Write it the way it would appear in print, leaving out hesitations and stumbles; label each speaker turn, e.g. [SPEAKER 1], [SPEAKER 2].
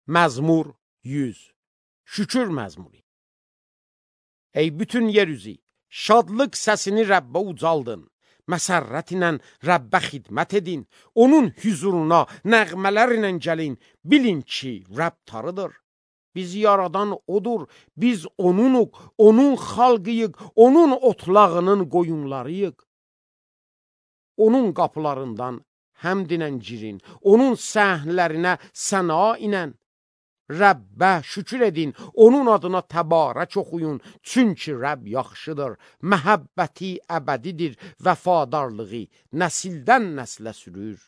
[SPEAKER 1] Məzmur 100. Şükür məzmuru. Ey bütün yer üzü, şadlıq səsini Rəbbə ucaldın. Məsərrət ilə Rəbbə xidmət edin. Onun hüzuruna nəğmələrlə gəlin. Bilin ki, Rəbb tarıdır. Bizi yaradan odur. Biz onunuq, onun xalqıyıq, onun otlağının qoyunlarıyıq. Onun qapılarından həmdinə girin. Onun səhnələrinə səna inən. Rəbbə şükür edin, onun adına təbarək oxuyun, çünki Rəbb yaxşıdır, məhəbbəti əbədidir, vəfadarlığı nəsildən nəslə sürür.